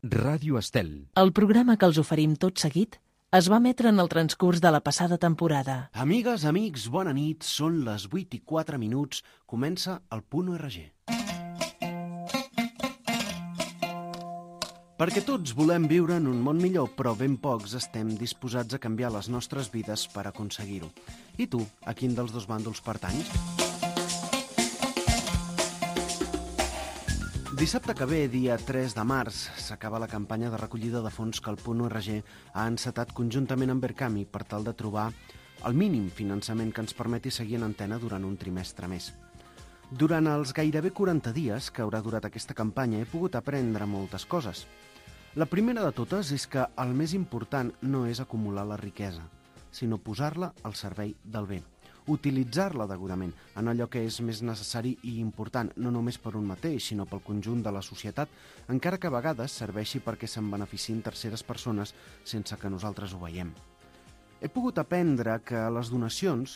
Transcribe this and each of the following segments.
Ràdio Estel. El programa que els oferim tot seguit es va emetre en el transcurs de la passada temporada. Amigues, amics, bona nit. Són les 8:04. Comença el Punt ORG. Perquè tots volem viure en un món millor, però ben pocs estem disposats a canviar les nostres vides per aconseguir-ho. I tu, a quin dels dos bàndols pertanys? Dissabte que ve, dia 3 de març, s'acaba la campanya de recollida de fons que el Punt ORG ha encetat conjuntament amb Verkami per tal de trobar el mínim finançament que ens permeti seguir en antena durant un trimestre més. Durant els gairebé 40 dies que haurà durat aquesta campanya he pogut aprendre moltes coses. La primera de totes és que el més important no és acumular la riquesa, sinó posar-la al servei del bé. Utilitzar-la degudament en allò que és més necessari i important, no només per un mateix, sinó pel conjunt de la societat, encara que a vegades serveixi perquè se'n beneficiïn terceres persones sense que nosaltres ho veiem. He pogut aprendre que les donacions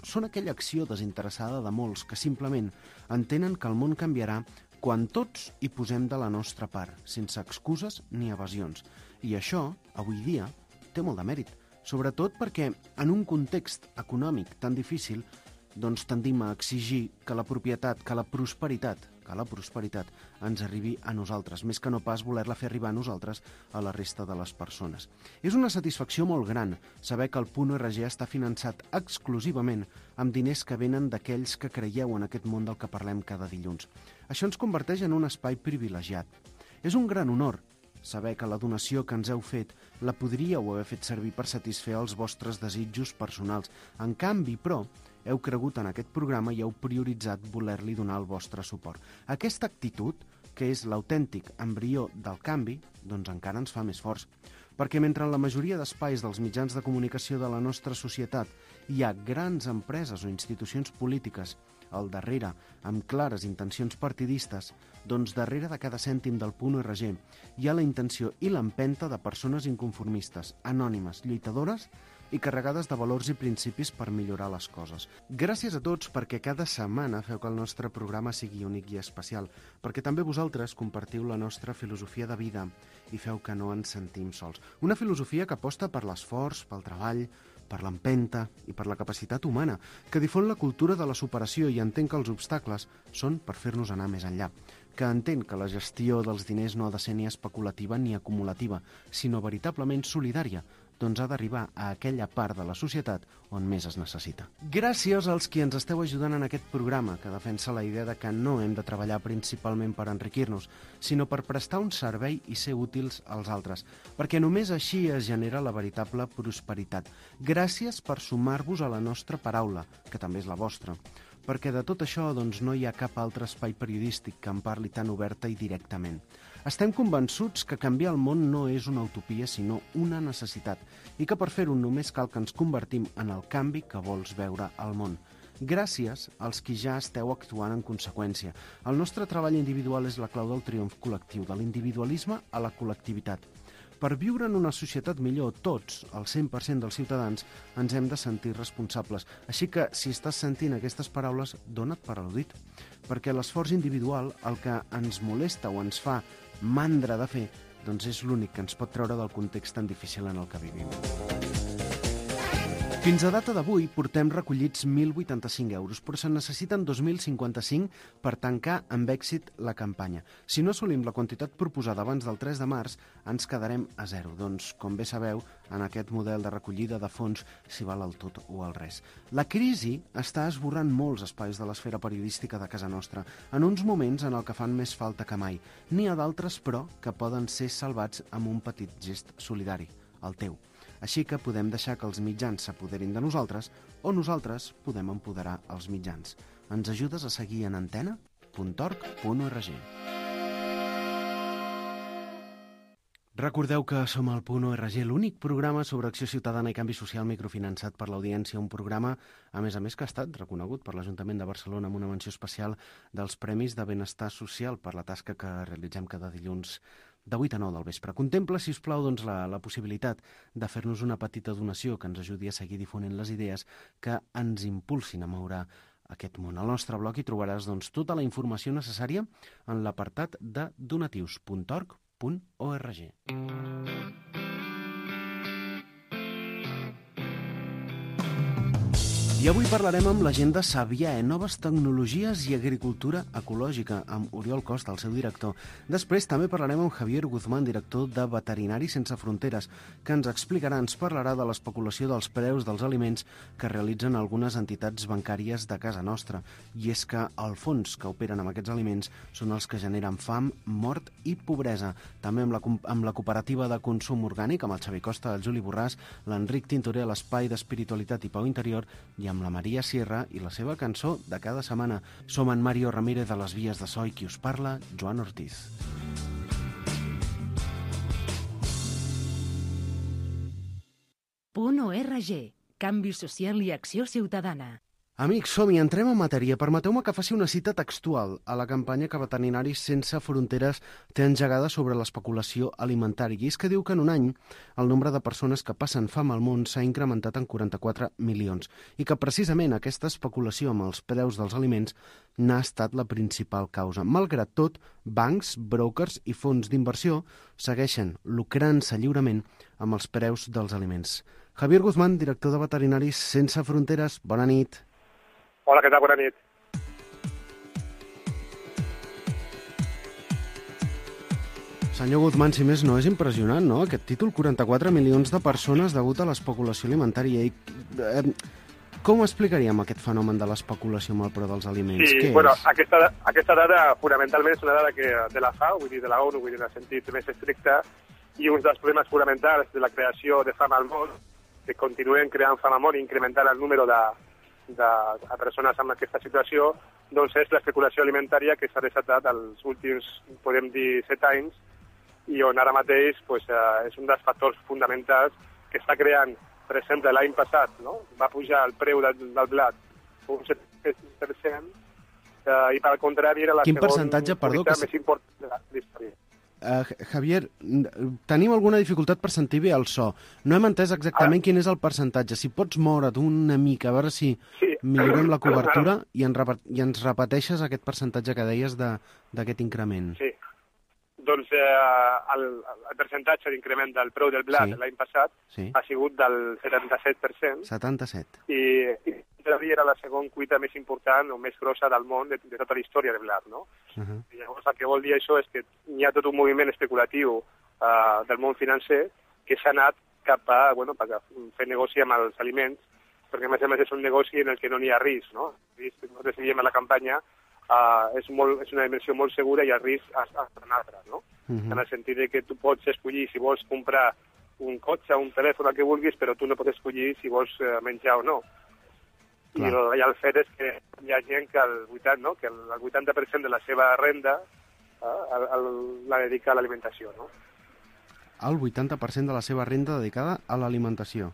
són aquella acció desinteressada de molts que simplement entenen que el món canviarà quan tots hi posem de la nostra part, sense excuses ni evasions. I això, avui dia, té molt de mèrit. Sobretot perquè en un context econòmic tan difícil tendim a exigir que la propietat, que la prosperitat ens arribi a nosaltres, més que no pas voler-la fer arribar a nosaltres a la resta de les persones. És una satisfacció molt gran saber que el Punt ORG està finançat exclusivament amb diners que venen d'aquells que creieu en aquest món del que parlem cada dilluns. Això ens converteix en un espai privilegiat. És un gran honor saber que la donació que ens heu fet la podríeu haver fet servir per satisfer els vostres desitjos personals. En canvi, però, heu cregut en aquest programa i heu prioritzat voler-li donar el vostre suport. Aquesta actitud, que és l'autèntic embrió del canvi, encara ens fa més forts. Perquè mentre en la majoria d'espais dels mitjans de comunicació de la nostra societat hi ha grans empreses o institucions polítiques al darrere, amb clares intencions partidistes, darrere de cada cèntim del Punt ORG hi ha la intenció i l'empenta de persones inconformistes, anònimes, lluitadores i carregades de valors i principis per millorar les coses. Gràcies a tots perquè cada setmana feu que el nostre programa sigui únic i especial, perquè també vosaltres compartiu la nostra filosofia de vida i feu que no ens sentim sols. Una filosofia que aposta per l'esforç, pel treball, per l'empenta i per la capacitat humana, que difon la cultura de la superació i entén que els obstacles són per fer-nos anar més enllà, que entén que la gestió dels diners no ha de ser ni especulativa ni acumulativa, sinó veritablement solidària, ha d'arribar a aquella part de la societat on més es necessita. Gràcies als qui ens esteu ajudant en aquest programa, que defensa la idea de que no hem de treballar principalment per enriquir-nos, sinó per prestar un servei i ser útils als altres, perquè només així es genera la veritable prosperitat. Gràcies per sumar-vos a la nostra paraula, que també és la vostra, perquè de tot això no hi ha cap altre espai periodístic que en parli tan oberta i directament. Estem convençuts que canviar el món no és una utopia, sinó una necessitat, i que per fer-ho només cal que ens convertim en el canvi que vols veure al món. Gràcies als qui ja esteu actuant en conseqüència. El nostre treball individual és la clau del triomf col·lectiu, de l'individualisme a la col·lectivitat. Per viure en una societat millor, tots, el 100% dels ciutadans, ens hem de sentir responsables. Així que, si estàs sentint aquestes paraules, dona't per al·ludit. Perquè l'esforç individual, el que ens molesta o ens fa mandra de fer, és l'únic que ens pot treure del context tan difícil en el que vivim. Fins a data d'avui portem recollits 1.085 euros, però se'n necessiten 2.055 per tancar amb èxit la campanya. Si no assolim la quantitat proposada abans del 3 de març, ens quedarem a zero. Com bé sabeu, en aquest model de recollida de fons s'hi val el tot o el res. La crisi està esborrant molts espais de l'esfera periodística de casa nostra, en uns moments en el que fan més falta que mai. N'hi ha d'altres, però, que poden ser salvats amb un petit gest solidari, el teu. Així que podem deixar que els mitjans s'apoderin de nosaltres o nosaltres podem empoderar els mitjans. Ens ajudes a seguir en antena.org.org. Recordeu que som al Punt ORG, l'únic programa sobre acció ciutadana i canvi social microfinançat per l'audiència, un programa, a més, que ha estat reconegut per l'Ajuntament de Barcelona amb una menció especial dels Premis de Benestar Social per la tasca que realitzem cada dilluns de 8 a 9 del vespre. Contempla, si us plau, la possibilitat de fer-nos una petita donació que ens ajudi a seguir difonent les idees que ens impulsin a moure aquest món. Al nostre blog hi trobaràs tota la informació necessària en l'apartat de donatius.org.cat. www.alimentació.org. I avui parlarem amb la gent de Sabiae, noves tecnologies i agricultura ecològica, amb Oriol Costa, el seu director. Després també parlarem amb Javier Guzmán, director de Veterinaris Sense Fronteres, que ens explicarà, ens parlarà de l'especulació dels preus dels aliments que realitzen algunes entitats bancàries de casa nostra. I és que els fons que operen amb aquests aliments són els que generen fam, mort i pobresa. També amb la cooperativa de consum orgànic, amb el Xavi Costa, el Juli Borràs, l'Enric Tintoré, l'Espai d'Espiritualitat i Pau Interior, i amb la Maria Sierra i la seva cançó de cada setmana. Som en Mario Ramírez de les Vies de So i qui us parla, Joan Ortiz. .org. Canvi social i acció ciutadana. Amics, som-hi, entrem en matèria. Permeteu-me que faci una cita textual a la campanya que Veterinaris Sense Fronteres té engegada sobre l'especulació alimentària. I és que diu que en un any el nombre de persones que passen fam al món s'ha incrementat en 44 milions i que precisament aquesta especulació amb els preus dels aliments n'ha estat la principal causa. Malgrat tot, bancs, brokers i fons d'inversió segueixen lucrant-se lliurement amb els preus dels aliments. Javier Guzmán, director de Veterinaris Sense Fronteres, bona nit. Hola, què tal? Bona nit. Senyor Guzmán, si més no, és impressionant, no?, aquest títol, 44 milions de persones degut a l'especulació alimentària. Com explicaríem aquest fenomen de l'especulació amb el preu dels aliments? Sí, bueno, aquesta dada fonamentalment és una dada de la FAO, vull dir, de la ONU, vull dir, en el sentit més estricte, i un dels problemes fonamentals de la creació de fam al món, que continuen creant fam al món i incrementant el número de persones amb aquesta situació, doncs és l'especulació alimentària que s'ha desatat els últims, podem dir, 7 anys, i on ara mateix és un dels factors fonamentals que està creant, per exemple, l'any passat, no? Va pujar el preu del blat un 7%, i per contrari era la segona més important de la història. Javier, tenim alguna dificultat per sentir bé el so. No hem entès exactament quin és el percentatge. Si pots moure't una mica, a veure si millorem la cobertura i ens repeteixes aquest percentatge que deies d'aquest increment. Sí. Doncs el percentatge d'increment del preu del blat l'any passat ha sigut del 77%. 77. I era la segona cuita més important o més grossa del món de tota la història del blat, no? I llavors el que vol dir això és que hi ha tot un moviment especulatiu del món financer que s'ha anat cap a fer negoci amb els aliments, perquè a més és un negoci en el que no n'hi ha risc, no? Nosaltres diem a la campanya és una dimensió molt segura i el risc és un altre, no? En el sentit que tu pots escollir si vols comprar un cotxe, un telèfon, el que vulguis, però tu no pots escollir si vols menjar o no. I el fet és que hi ha gent que el 80% de la seva renda la dedica a l'alimentació, no? El 80% de la seva renda dedicada a l'alimentació.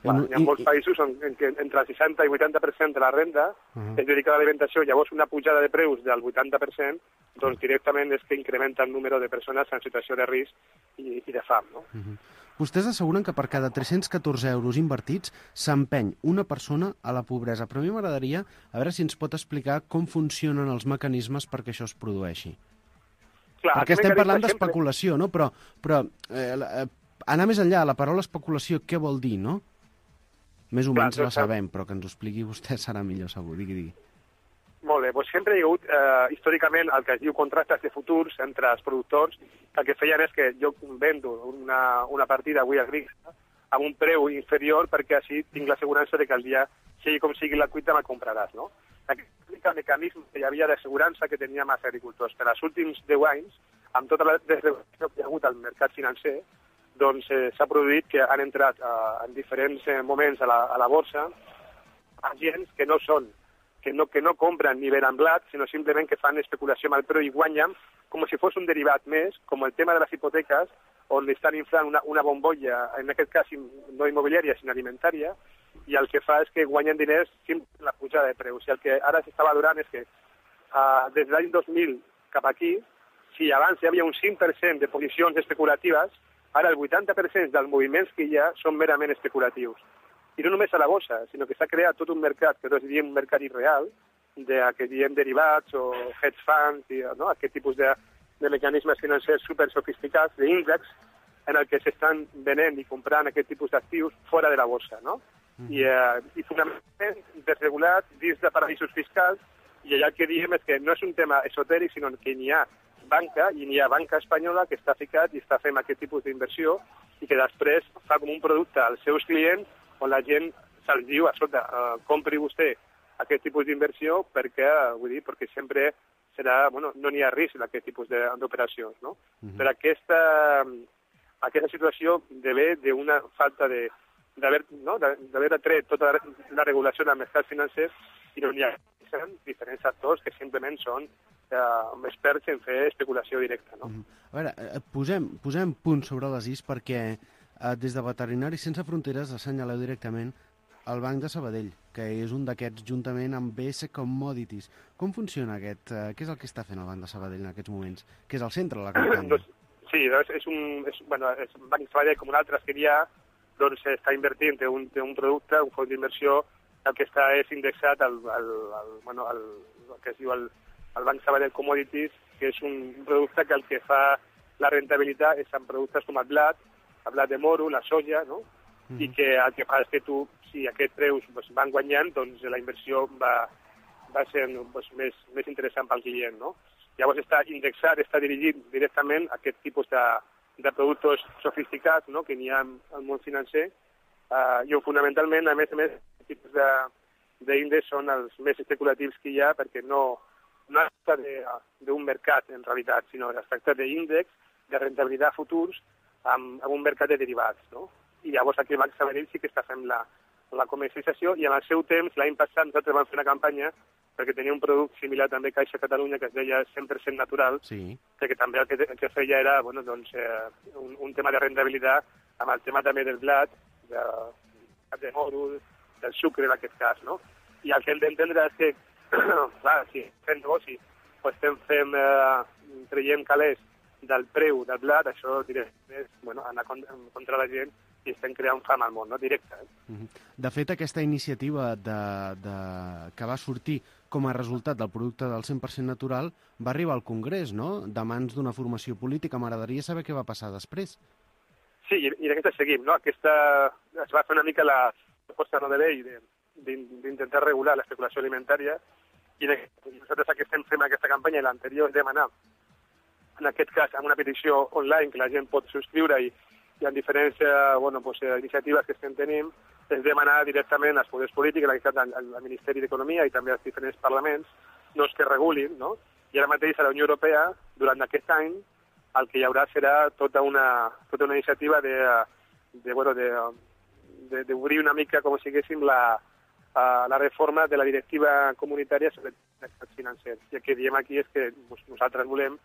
Hi ha molts països en què entre el 60 i 80% de la renda és dedicada a l'alimentació, llavors una pujada de preus del 80%, doncs directament és que incrementa el número de persones en situació de risc i de fam, no? Vostès asseguren que per cada 314 euros invertits s'empeny una persona a la pobresa, però a mi m'agradaria a veure si ens pot explicar com funcionen els mecanismes perquè això es produeixi. Perquè estem parlant d'especulació, no? Però anar més enllà, la paraula especulació, què vol dir, no? Més o menys la sabem, però que ens ho expliqui vostè serà millor segur. Digui. Molt bé, doncs sempre hi ha hagut històricament el que es diu contractes de futurs entre els productors. El que feien és que jo vendo una partida avui agrícola amb un preu inferior perquè així tinc l'assegurança que el dia, sigui com sigui la cuita, me'l compraràs, no? Aquest mecanisme que hi havia d'assegurança que teníem els agricultors. Per als últims 10 anys, amb tota la desregulació que hi ha hagut al mercat financer, doncs s'ha produït que han entrat en diferents moments a la borsa agents que no són que no compren ni venen blat, sinó simplement que fan especulació amb el preu i guanyen com si fos un derivat més, com el tema de les hipoteques, on estan inflant una bombolla, en aquest cas no immobiliària, sinó alimentària, i el que fa és que guanyen diners simplement en la pujada de preus. I el que ara s'està valorant és que des de l'any 2000 cap aquí, si abans hi havia un 5% de posicions especulatives, ara el 80% dels moviments que hi ha són merament especulatius. I no només a la bossa, sinó que s'ha creat tot un mercat, que nosaltres diem mercat irreal, que diem derivats o hedge funds, no? Aquest tipus de mecanismes financers super sofisticats, d'índex, en el que s'estan venent i comprant aquest tipus d'actius fora de la borsa, no? I fonamentalment desregulat dins de paradisos fiscals, i allà el que diem és que no és un tema esotèric, sinó que n'hi ha banca, i n'hi ha banca espanyola que està ficat i està fent aquest tipus d'inversió i que després fa com un producte als seus clients on la gent se'ls diu, escolta, compri vostè aquest tipus d'inversió perquè, vull dir, perquè sempre serà, bueno, no n'hi ha risc d'aquest tipus d'operacions, no? Per aquesta situació ve d'una falta d'haver atret tota la regulació dels mercats financers i no n'hi ha diferents actors que simplement són experts en fer especulació directa, no? A veure, posem punts sobre les is perquè des de Veterinaris Sense Fronteres assenyaleu directament el Banc de Sabadell, que és un d'aquests juntament amb BS Commodities. Com funciona aquest? Què és el que està fent el Banc de Sabadell en aquests moments? Que és el centre de la campanya. Sí, és un Banc de Sabadell com un altre que hi ha, doncs està invertint en un producte, un fons d'inversió, el que està és indexat al que es diu el Banc Sabadell Commodities, que és un producte que el que fa la rentabilitat és en productes com el blat de moro, la soja, no? I que el que fa és que tu, si aquests preus van guanyant, doncs la inversió va ser més interessant pel client, no? Llavors està indexat, està dirigit directament a aquest tipus de productes sofisticats, no?, que n'hi ha al món financer, i fonamentalment, a més, els tipus d'índex són els més especulatius que hi ha, perquè no es tracta d'un mercat, en realitat, sinó es tracta d'índex de rentabilitat futurs amb un mercat de derivats, no? I llavors aquí el Banc Sabadell sí que està fent la comercialització, i en el seu temps, l'any passat, nosaltres vam fer una campanya perquè tenia un producte similar també a Caixa Catalunya, que es deia 100% natural, perquè també el que feia era un tema de rentabilitat amb el tema també del blat, de moro, del sucre en aquest cas, no? I el que hem d'entendre és que, clar, si fem negoci o estem traient calés del preu del blat, això és anar contra la gent i estem creant fam al món, no? Directe. De fet, aquesta iniciativa que va sortir com a resultat del producte del 100% natural va arribar al Congrés, no?, de mans d'una formació política. M'agradaria saber què va passar després. Sí, i d'aquesta seguim, no? Es va fer una mica la proposta de llei d'intentar regular l'especulació alimentària, i nosaltres el que estem fent aquesta campanya i l'anterior és demanar, en aquest cas, amb una petició online que la gent pot subscriure i en diferents iniciatives que estem tenint, és demanar directament als poders polítics, al Ministeri d'Economia i també als diferents parlaments, que regulin, no? I ara mateix a la Unió Europea, durant aquest any, el que hi haurà serà tota una iniciativa d'obrir una mica, com si diguéssim, la reforma de la directiva comunitària sobre mercats financers. I el que diem aquí és que nosaltres volem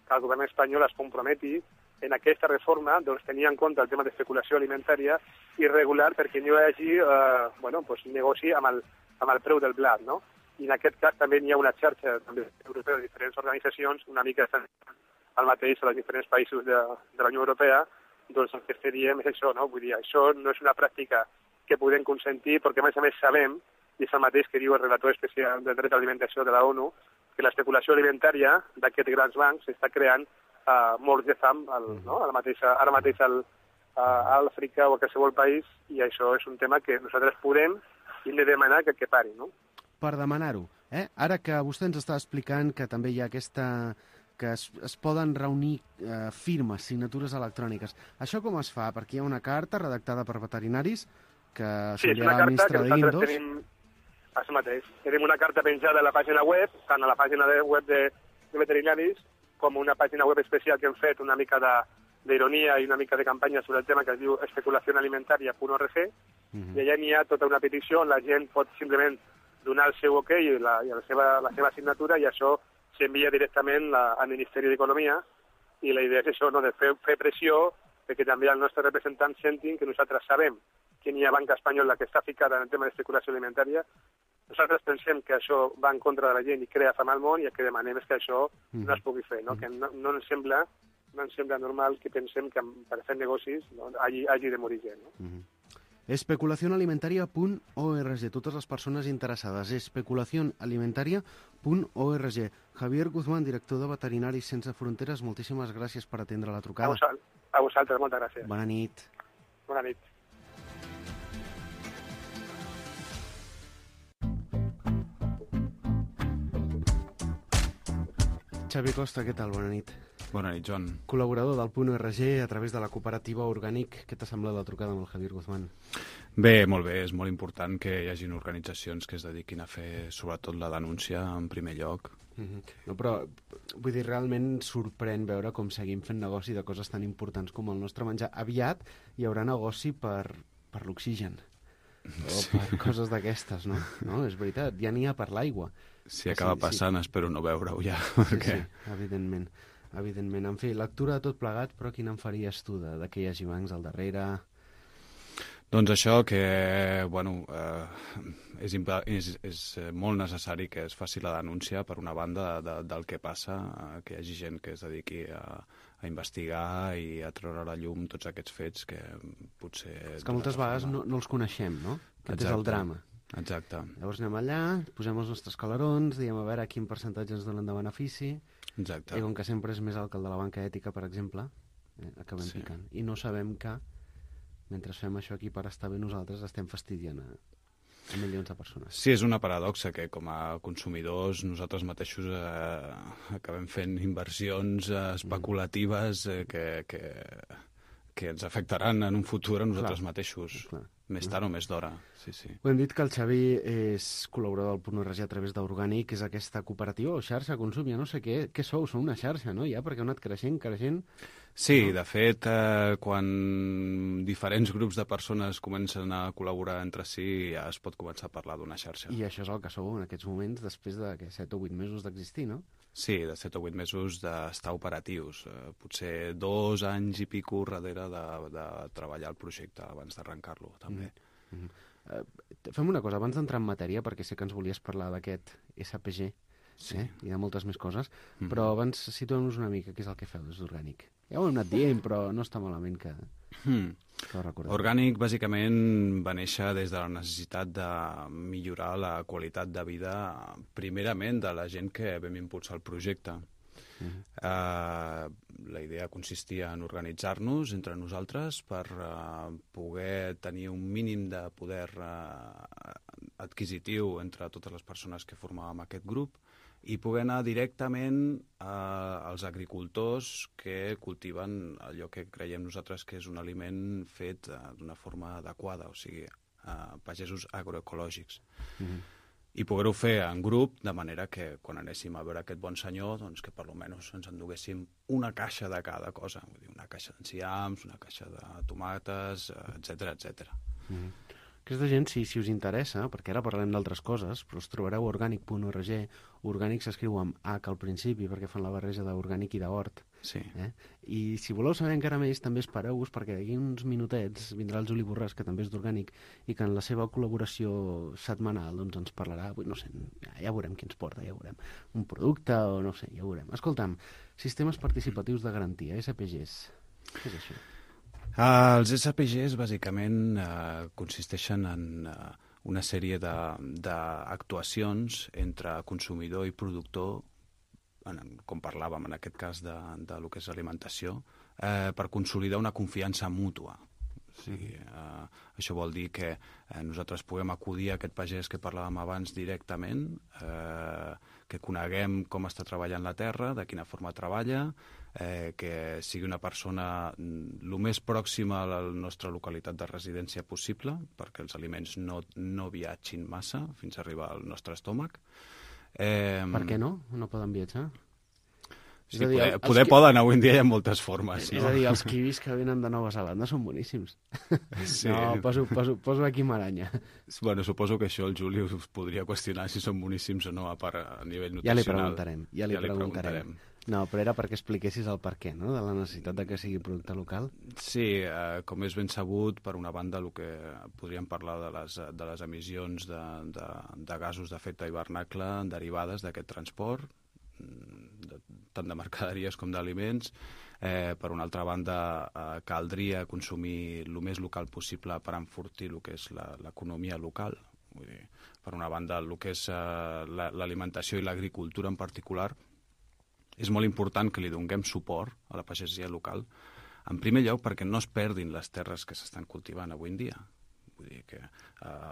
que el govern espanyol es comprometi en aquesta reforma, tenir en compte el tema d'especulació alimentària i regular perquè no hi hagi negoci amb el preu del blat, no? I en aquest cas també hi ha una xarxa europea de diferents organitzacions, una mica el mateix a els diferents països de la Unió Europea, doncs el que diem és això, no? Vull dir, això no és una pràctica que podem consentir perquè, a més, sabem, i és el mateix que diu el relator especial del dret a l'alimentació de la ONU, que l'especulació alimentària d'aquests grans bancs està creant morts de fam ara mateix a Àfrica o a qualsevol país, i això és un tema que nosaltres podem i hem de demanar que pari, no? Per demanar-ho, ara que vostè ens està explicant que també hi ha que es poden reunir firmes, signatures electròniques. Això com es fa? Perquè hi ha una carta redactada per veterinaris que s'enviarà al ministre d'Indos. Això mateix. Tenim una carta penjada a la pàgina web, tant a la pàgina web de veterinaris com una pàgina web especial que hem fet una mica d'ironia i una mica de campanya sobre el tema que es diu especulacionalimentaria.org, i allà n'hi ha tota una petició on la gent pot simplement donar el seu ok i la seva signatura, i això s'envia directament al Ministeri d'Economia, i la idea és això, de fer pressió perquè també els nostres representants sentin que nosaltres sabem que n'hi ha banca espanyola que està ficada en el tema d'especulació alimentària. Nosaltres pensem que això va en contra de la gent i crea fam al món, i el que demanem és que això no es pugui fer, no? Que no ens sembla normal que pensem que per fer negocis hagi de morir gent. No? Especulacionalimentaria.org. Totes les persones interessades. Especulacionalimentaria.org. Javier Guzmán, director de Veterinaris Sense Fronteres, moltíssimes gràcies per atendre la trucada. A vosaltres, moltes gràcies. Bona nit. Bona nit. Xavi Costa, què tal? Bona nit. Bona nit, Joan. Col·laborador del .org a través de la cooperativa Orgànic. Què t'ha semblat la trucada amb el Javier Guzmán? Bé, molt bé. És molt important que hi hagin organitzacions que es dediquin a fer, sobretot, la denúncia en primer lloc. No, però, vull dir, realment sorprèn veure com seguim fent negoci de coses tan importants com el nostre menjar. Aviat hi haurà negoci per l'oxigen. O per coses d'aquestes, no? No, és veritat, ja n'hi ha per l'aigua. Si acaba passant, espero no veure-ho ja. Sí, evidentment. En fi, lectura de tot plegat, però quina en faries tu de que hi hagi bancs al darrere? Doncs això, que bueno, és molt necessari que es faci la denúncia, per una banda, del que passa, que hi hagi gent que es dediqui a investigar i a treure a la llum tots aquests fets que potser... És que moltes vegades no els coneixem, no? Aquest és el drama. Exacte. Llavors anem allà, posem els nostres calarons, diem a veure quin percentatge ens donen de benefici. Exacte. I com que sempre és més alt que el de la banca ètica, per exemple, acabem picant. I no sabem que, mentre fem això aquí per estar bé nosaltres, estem fastidiant a milions de persones. Sí, és una paradoxa que com a consumidors nosaltres mateixos acabem fent inversions especulatives que ens afectaran en un futur a nosaltres mateixos. Més tard o més d'hora, sí. Ho hem dit que el Xavi és col·laborador del .org a través d'Orgànic, que és aquesta cooperativa o xarxa consum, ja no sé què sou una xarxa, no? Ja, perquè heu anat creixent... Sí, de fet, quan diferents grups de persones comencen a col·laborar entre si, ja es pot començar a parlar d'una xarxa. I això és el que sou en aquests moments, després de 7 o 8 mesos d'existir, no? Sí, de 7 o 8 mesos d'estar operatius. Potser 2 anys i pico darrere de treballar el projecte abans d'arrencar-lo, també. Fem una cosa, abans d'entrar en matèria, perquè sé que ens volies parlar d'aquest SPG, i de moltes més coses, però abans situem-nos una mica què és el que feu des d'Orgànic. Ja ho hem anat dient, però no està malament que ho recordem. Orgànic, bàsicament, va néixer des de la necessitat de millorar la qualitat de vida, primerament, de la gent que vam impulsar el projecte. La idea consistia en organitzar-nos entre nosaltres per poder tenir un mínim de poder adquisitiu entre totes les persones que formàvem aquest grup i poder anar directament als agricultors que cultiven allò que creiem nosaltres que és un aliment fet d'una forma adequada, o sigui, pagesos agroecològics. I poder-ho fer en grup, de manera que quan anéssim a veure aquest bon senyor, doncs que per almenys ens enduguéssim una caixa de cada cosa, vull dir, una caixa d'enciams, una caixa de tomates, etc. Aquesta gent, si us interessa, perquè ara parlem d'altres coses, però us trobareu orgànic.org. Orgànic s'escriu amb H al principi, perquè fan la barreja d'orgànic i d'hort. Sí. I si voleu saber encara més, també espereu-vos, perquè d'aquí uns minutets vindrà el Juli Borràs, que també és d'Orgànic, i que en la seva col·laboració setmanal doncs, ens parlarà, no sé, ja veurem qui ens porta, ja veurem, un producte o no sé, ja veurem. Escolta'm, sistemes participatius de garantia, SPGs, què és això? Els SPGs, bàsicament, consisteixen en una sèrie d'actuacions entre consumidor i productor, com parlàvem en aquest cas de lo que és alimentació, per consolidar una confiança mútua. O sigui, això vol dir que nosaltres puguem acudir a aquest pagès que parlàvem abans directament, que coneguem com està treballant la terra, de quina forma treballa, que sigui una persona el més pròxima a la nostra localitat de residència possible, perquè els aliments no viatgin massa fins a arribar al nostre estómac. Per què no? No poden viatjar? Sí, poden, avui en dia hi ha moltes formes. És a dir, els kiwis que venen de Nova Zelanda són boníssims. Sí. No, poso aquí maranya. Bueno, suposo que això el Juli us podria qüestionar si són boníssims o no, a part a nivell nutricional. Ja li preguntarem. No, però era perquè expliquessis el per què, no?, de la necessitat de que sigui producte local. Sí, com és ben sabut, per una banda, el que podríem parlar de les emissions de gasos d'efecte hivernacle derivades d'aquest transport, tant de mercaderies com d'aliments. Per una altra banda, caldria consumir el més local possible per enfortir el que és l'economia local. Vull dir, per una banda, el que és l'alimentació i l'agricultura en particular, és molt important que li donem suport a la pagesia local, en primer lloc perquè no es perdin les terres que s'estan cultivant avui en dia. Vull dir que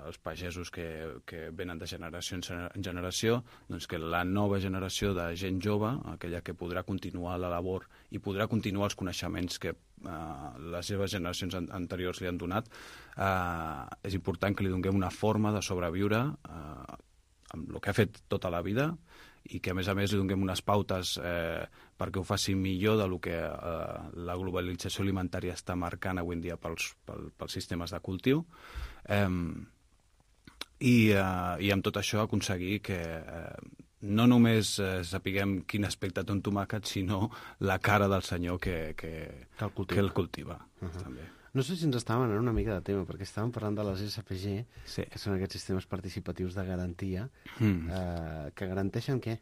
els pagesos que venen de generació en generació, doncs que la nova generació de gent jove, aquella que podrà continuar la labor i podrà continuar els coneixements que les seves generacions anteriors li han donat, és important que li donem una forma de sobreviure amb el que ha fet tota la vida i que, a més, li donem unes pautes perquè ho faci millor del que la globalització alimentària està marcant avui en dia pels sistemes de cultiu. I amb tot això aconseguir que no només sapiguem quin aspecte té un tomàquet, sinó la cara del senyor que el cultiva. També. No sé si ens estàvem anant una mica de tema, perquè estàvem parlant de les SPG, sí, que són aquests sistemes participatius de garantia, que garanteixen què?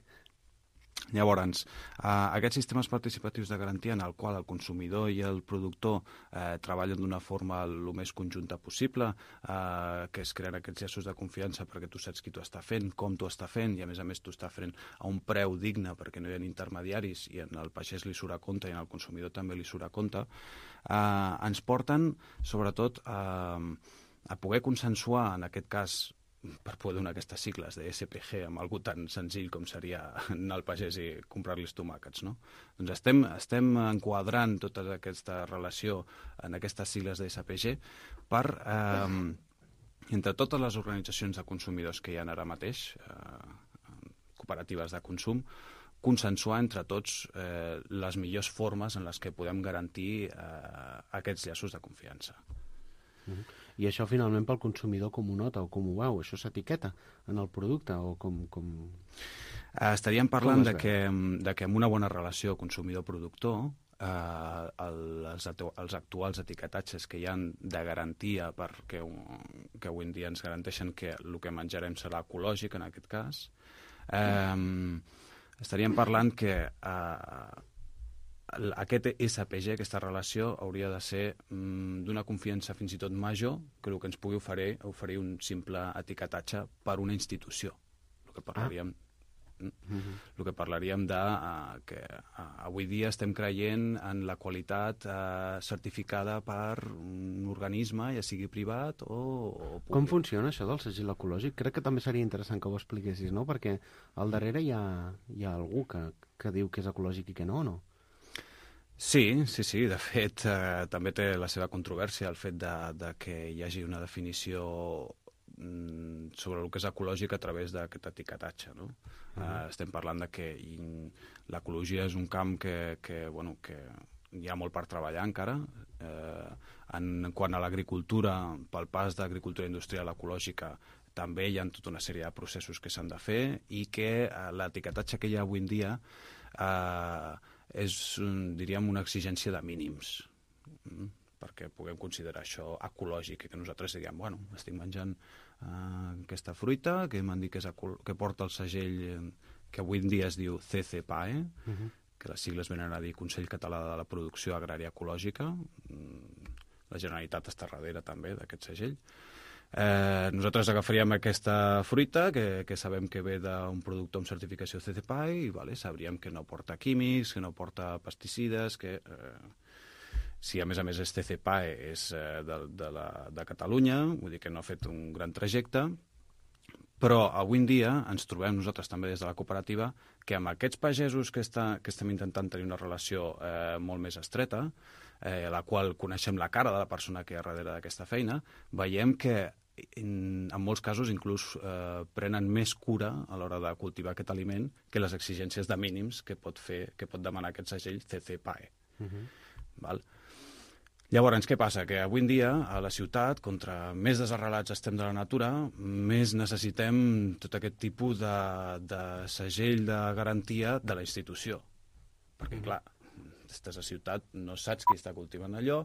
Llavors, aquests sistemes participatius de garantia en el qual el consumidor i el productor treballen d'una forma el més conjunta possible, que es creen aquests llaços de confiança perquè tu saps qui t'ho està fent, com t'ho està fent, i a més t'ho està fent a un preu digne perquè no hi ha intermediaris i en el pagès li surt a compte i en el consumidor també li surt a compte, ens porten, sobretot, a poder consensuar, en aquest cas, per poder donar aquestes sigles de SPG amb algú tan senzill com seria anar al pagès i comprar-los tomàquets, no? Doncs estem enquadrant tota aquesta relació en aquestes sigles de SPG per, entre totes les organitzacions de consumidors que hi ha ara mateix, cooperatives de consum, consensuar entre tots les millors formes en les que podem garantir aquests llaços de confiança. I això finalment pel consumidor com ho nota o com ho veu? Això s'etiqueta en el producte o com... Estaríem parlant que amb una bona relació consumidor-productor els actuals etiquetatges que hi ha de garantia que avui en dia ens garanteixen que el que menjarem serà ecològic en aquest cas, estaríem parlant que aquest SPG, aquesta relació, hauria de ser d'una confiança fins i tot major que el que ens pugui oferir un simple etiquetatge per una institució. El que parlaríem de que avui dia estem creient en la qualitat certificada per un organisme, ja sigui privat o públic. Com funciona això del segell ecològic? Crec que també seria interessant que ho expliquessis, no? Perquè al darrere hi ha algú que diu que és ecològic i que no, o no? Sí. De fet, també té la seva controvèrsia el fet de que hi hagi una definició sobre el que és ecològic a través d'aquest etiquetatge, no? Estem parlant de que l'ecologia és un camp que hi ha molt per treballar encara. En quant a l'agricultura, pel pas d'agricultura industrial ecològica, també hi ha tota una sèrie de processos que s'han de fer i que l'etiquetatge que hi ha avui en dia és, diríem, una exigència de mínims perquè puguem considerar això ecològic i que nosaltres diguem, bueno, estic menjant aquesta fruita que m'han dit que porta el segell que avui en dia es diu CCPAE, que les sigles venen a dir Consell Català de la Producció Agrària Ecològica. La Generalitat està darrere també d'aquest segell. Nosaltres agafaríem aquesta fruita que sabem que ve d'un productor amb certificació CCPAE i sabríem que no porta químics, que no porta pesticides, que si a més és CCPAE és de Catalunya, vull dir que no ha fet un gran trajecte, però avui en dia ens trobem nosaltres també des de la cooperativa que amb aquests pagesos que estem intentant tenir una relació molt més estreta, la qual coneixem la cara de la persona que hi ha darrere d'aquesta feina, veiem que en molts casos inclús prenen més cura a l'hora de cultivar aquest aliment que les exigències de mínims que pot demanar aquest segell CCPAE. Val? Llavors, què passa? Que avui en dia, a la ciutat, contra més desarrelats estem de la natura, més necessitem tot aquest tipus de segell de garantia de la institució. Perquè, clar, estàs a ciutat, no saps qui està cultivant allò,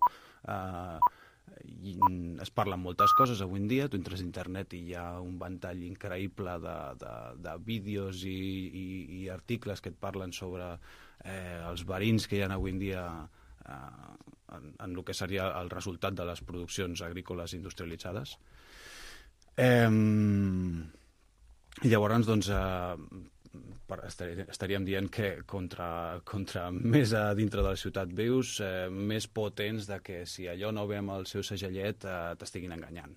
es parlen moltes coses avui en dia, tu entres a internet i hi ha un ventall increïble de vídeos i articles que et parlen sobre els verins que hi ha avui en dia en el que seria el resultat de les produccions agrícoles industrialitzades. I llavors, doncs, estaríem dient que contra més a dintre de la ciutat vius, més potents de que si allò no ve amb el seu segellet t'estiguin enganyant.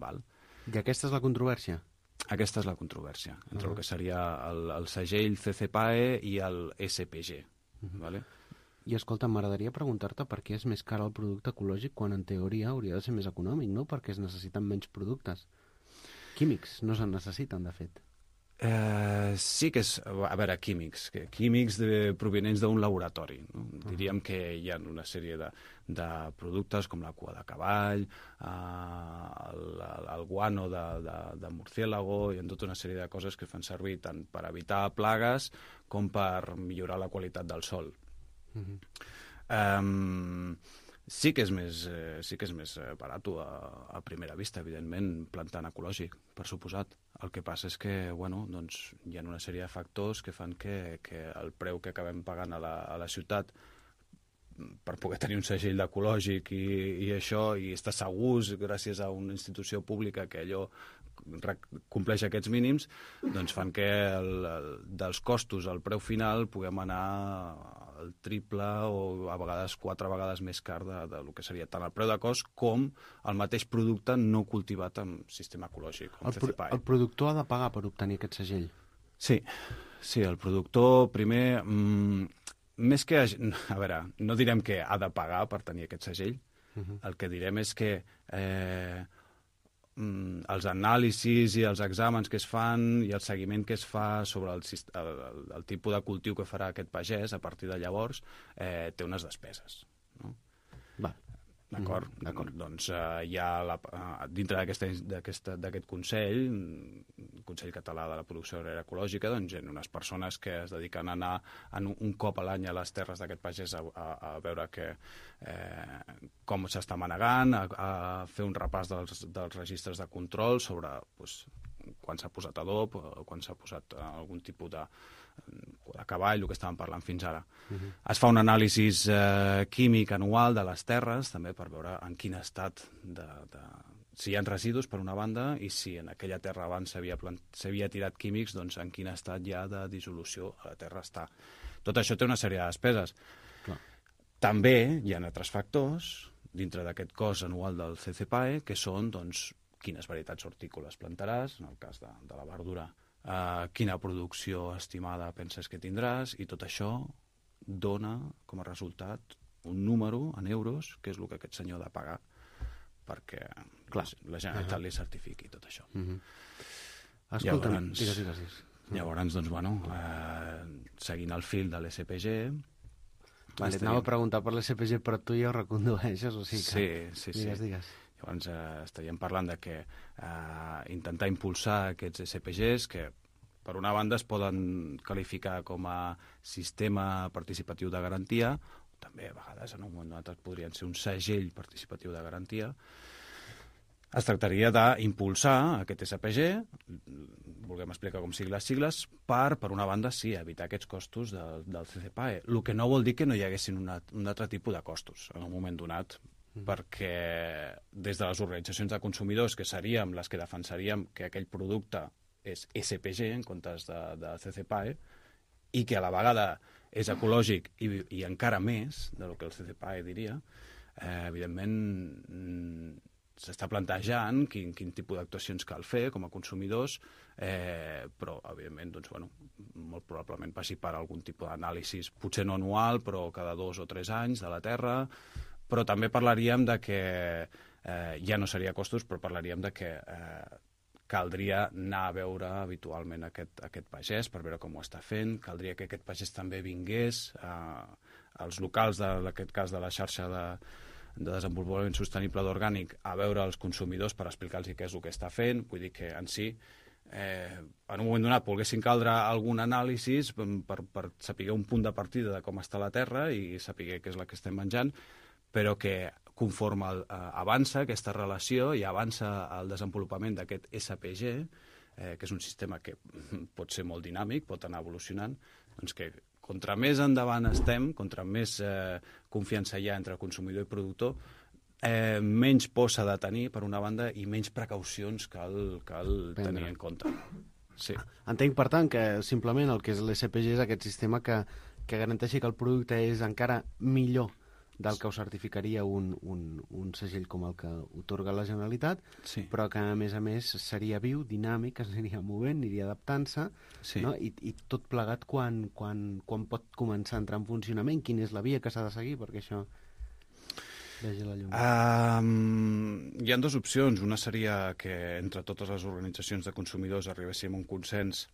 Val? I aquesta és la controvèrsia? Aquesta és la controvèrsia, entre el que seria el segell CCPAE i el SPG. Vale? I escolta, m'agradaria preguntar-te per què és més car el producte ecològic quan en teoria hauria de ser més econòmic, no? Perquè es necessiten menys productes. Químics no se'n necessiten, de fet. Sí que és, a veure, químics provenents d'un laboratori. No? Diríem que hi ha una sèrie de productes com la cua de cavall, el guano de murciélago, i en tota una sèrie de coses que fan servir tant per evitar plagues com per millorar la qualitat del sòl. Sí que és més barat a primera vista, evidentment, plantant ecològic, per suposat. El que passa és que, bueno, doncs, hi ha una sèrie de factors que fan que el preu que acabem pagant a la ciutat per poder tenir un segell d'ecològic i això, i estar segurs gràcies a una institució pública que allò compleix aquests mínims, doncs fan que dels costos al preu final puguem anar el triple o a vegades 4 vegades més car del que seria tant el preu de cost com el mateix producte no cultivat amb sistema ecològic. El productor ha de pagar per obtenir aquest segell? Sí, el productor primer... Més que... A veure, no direm que ha de pagar per tenir aquest segell. El que direm és que els anàlisis i els exàmens que es fan i el seguiment que es fa sobre el tipus de cultiu que farà aquest pagès a partir de llavors té unes despeses. No? Va. D'acord? Doncs hi ha dintre d'aquest Consell, Consell Català de la Producció Agrària Ecològica, doncs hi ha unes persones que es dediquen a anar un cop a l'any a les terres d'aquest pagès a veure com s'està manegant, a fer un repàs dels registres de control sobre quan s'ha posat adob, quan s'ha posat algun tipus de cavall, el que estàvem parlant fins ara. Es fa un anàlisi químic anual de les terres, també per veure en quin estat si hi ha residus, per una banda, i si en aquella terra abans s'havia tirat químics, doncs en quin estat ja de dissolució la terra està. Tot això té una sèrie de despeses. Clar. També hi ha altres factors dintre d'aquest cost anual del CCPAE, que són, doncs, quines varietats hortícoles plantaràs, en el cas de la verdura, quina producció estimada penses que tindràs, i tot això dona com a resultat un número en euros, que és el que aquest senyor ha de pagar perquè la Generalitat li certifiqui tot això. Escolta, digues. Llavors, doncs, bueno, seguint el fil de l'SPG... Anava a preguntar per l'SPG, però tu ja ho recondueixes, o sigui que... Sí. Digues. Llavors estaríem parlant de que intentar impulsar aquests SPGs que per una banda es poden qualificar com a sistema participatiu de garantia, també a vegades en un moment donat podrien ser un segell participatiu de garantia. Es tractaria d'impulsar aquest SPG, volguem explicar com siguin les sigles, per una banda, sí, evitar aquests costos del CCPAE, el que no vol dir que no hi haguessin un altre tipus de costos en un moment donat, perquè des de les organitzacions de consumidors, que seríem les que defensaríem que aquell producte és SPG en comptes de CCPAE, i que a la vegada és ecològic i encara més del que el CCPAE diria, evidentment s'està plantejant quin tipus d'actuacions cal fer com a consumidors, però evidentment doncs, molt probablement passi per algun tipus d'anàlisi, potser no anual, però cada 2 o 3 anys de la terra. Però també parlaríem de que, ja no seria costos, però parlaríem de que caldria anar a veure habitualment aquest pagès per veure com ho està fent, caldria que aquest pagès també vingués als locals, en aquest cas de la xarxa de desenvolupament sostenible d'orgànic, a veure els consumidors per explicar-los què és el que està fent. Vull dir que en si, en un moment donat, volguessin caldre algun anàlisi per saber un punt de partida de com està la terra i saber què és la que estem menjant, però que conforme avança aquesta relació i avança el desenvolupament d'aquest SPG, que és un sistema que pot ser molt dinàmic, pot anar evolucionant, doncs que contra més endavant estem, contra més confiança hi ha entre consumidor i productor, menys por s'ha de tenir, per una banda, i menys precaucions cal tenir en compte. Sí. Entenc, per tant, que simplement el que és l'SPG és aquest sistema que garanteixi que el producte és encara millor del que ho certificaria un segell com el que otorga la Generalitat, Sí. però que, a més, seria viu, dinàmic, es aniria movent, aniria adaptant-se, Sí. no? I tot plegat quan pot començar a entrar en funcionament, quina és la via que s'ha de seguir perquè això vegi la llum. Hi ha dues opcions. Una seria que entre totes les organitzacions de consumidors arribéssim a un consens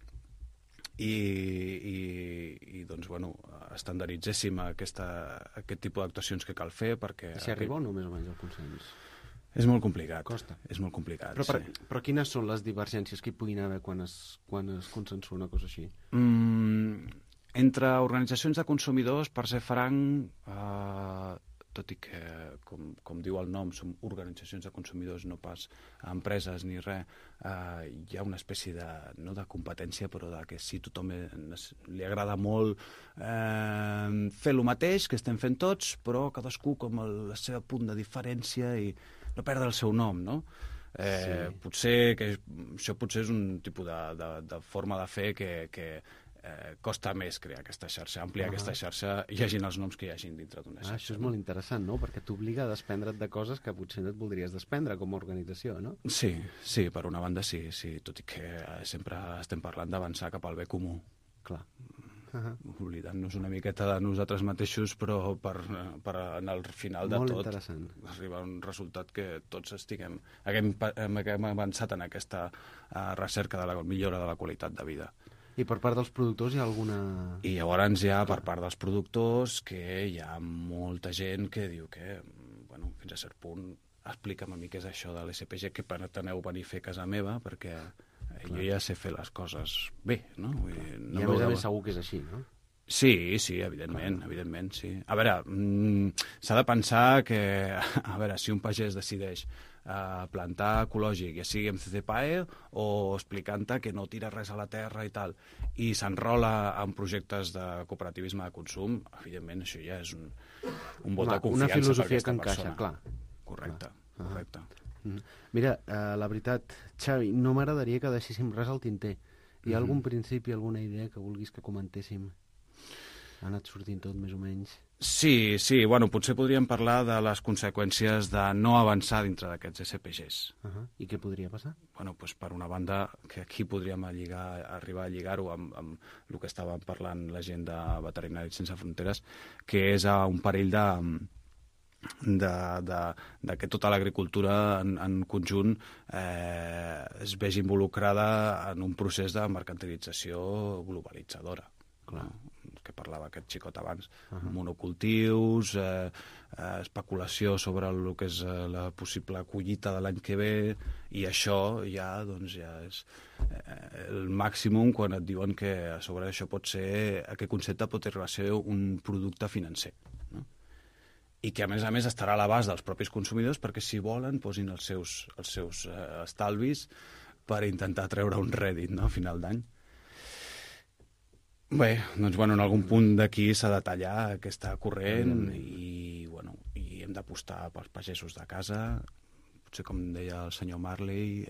i doncs, bueno, estandarditzéssim aquest tipus d'actuacions que cal fer perquè... Si arriba o no més o menys el consens? És molt complicat. Costa. És molt complicat, Però quines són les divergències que hi puguin haver quan es consensua una cosa així? Entre organitzacions de consumidors, per ser franc, tot i que, com diu el nom, som organitzacions de consumidors, no pas empreses ni res, hi ha una espècie no de competència, però que si tothom li agrada molt fer el mateix que estem fent tots, però cadascú com el seu punt de diferència i no perdre el seu nom, no? Potser que això potser és un tipus de forma de fer que costa més crear aquesta xarxa, ampliar aquesta xarxa, hi hagin els noms que hi hagin dintre d'una xarxa. Això és molt interessant, no? Perquè t'obliga a desprendre't de coses que potser no et voldries desprendre com a organització, no? Sí, per una banda sí, tot i que sempre estem parlant d'avançar cap al bé comú. Clar. Oblidant-nos una miqueta de nosaltres mateixos, però per en el final de tot arribar a un resultat que tots haguem avançat en aquesta recerca de la millora de la qualitat de vida. I per part dels productors hi ha alguna... I llavors hi ha per part dels productors que hi ha molta gent que diu que, bueno, fins a cert punt, explica'm a mi què és això de l'SPG, que preteneu venir a fer a casa meva, perquè jo ja sé fer les coses bé, no? Vull dir, I a més segur que és així, no? Sí, evidentment, sí. A veure, s'ha de pensar que, a veure, si un pagès decideix plantar ecològic, ja sigui amb CCPAE o explicant-te que no tira res a la terra i tal, i s'enrola en projectes de cooperativisme de consum, evidentment això ja és un vot de confiança una filosofia per aquesta que encaixa, persona. clar. Correcte. Mira, la veritat, Xavi, no m'agradaria que deixéssim res al tinter. Hi ha algun principi, alguna idea que vulguis que comentéssim? Ha anat sortint tot més o menys? Sí, bueno, potser podríem parlar de les conseqüències de no avançar dintre d'aquests SPGs. I què podria passar? Bueno, doncs per una banda, que aquí podríem arribar a lligar-ho amb el que estàvem parlant la gent de Veterinaris Sense Fronteres, que és un perill de que tota l'agricultura en conjunt es vegi involucrada en un procés de mercantilització globalitzadora. Clar. Que parlava aquest xicot abans, monocultius, especulació sobre el que és la possible collita de l'any que ve, i això ja és el màximum quan et diuen que a sobre això aquest concepte pot arribar a ser un producte financer, no? I que a més estarà a l'abast dels propis consumidors perquè si volen posin els seus estalvis per intentar treure un rèdit, no?, a final d'any. Bé, doncs en algun punt d'aquí s'ha de tallar aquesta corrent i hem d'apostar pels pagesos de casa, potser com deia el senyor Marley,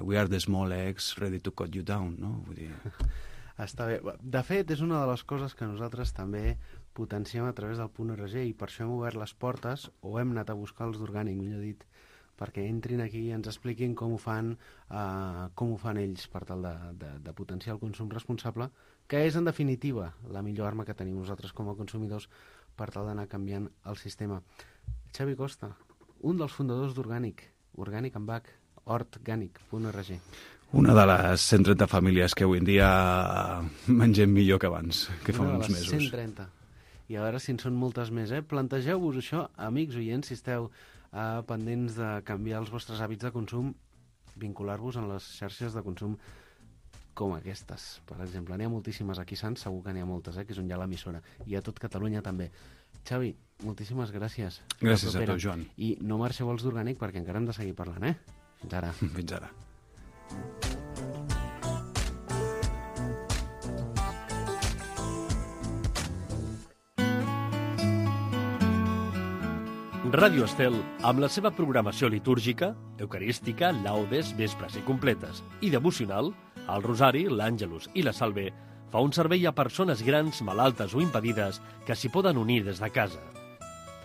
we are the small eggs ready to cut you down, no? Vull dir... Està bé. De fet, és una de les coses que nosaltres també potenciem a través del .org i per això hem obert les portes, o hem anat a buscar els d'Orgànic, millor dit, perquè entrin aquí i ens expliquin com ho fan ells per tal de potenciar el consum responsable, que és, en definitiva, la millor arma que tenim nosaltres com a consumidors per tal d'anar canviant el sistema. Xavi Costa, un dels fundadors d'Orgànic, Orgànic amb H, hortganic.org. Una de les 130 famílies que avui en dia mengem millor que abans, que fa uns mesos. 130. I a veure si en són moltes més, eh? Plantegeu-vos això, amics oients, si esteu pendents de canviar els vostres hàbits de consum, vincular-vos en les xarxes de consum com aquestes, per exemple. N'hi ha moltíssimes aquí, Sants, segur que n'hi ha moltes, que és on hi ha l'emissora, i a tot Catalunya també. Xavi, moltíssimes gràcies. Gràcies a tu, Joan. I no marxeu els d'Orgànic perquè encara hem de seguir parlant, Fins ara. Fins ara. Ràdio Estel, amb la seva programació litúrgica, eucarística, laudes, vespres i completes, i devocional, el Rosari, l'Àngelus i la Salve, fa un servei a persones grans, malaltes o impedides que s'hi poden unir des de casa.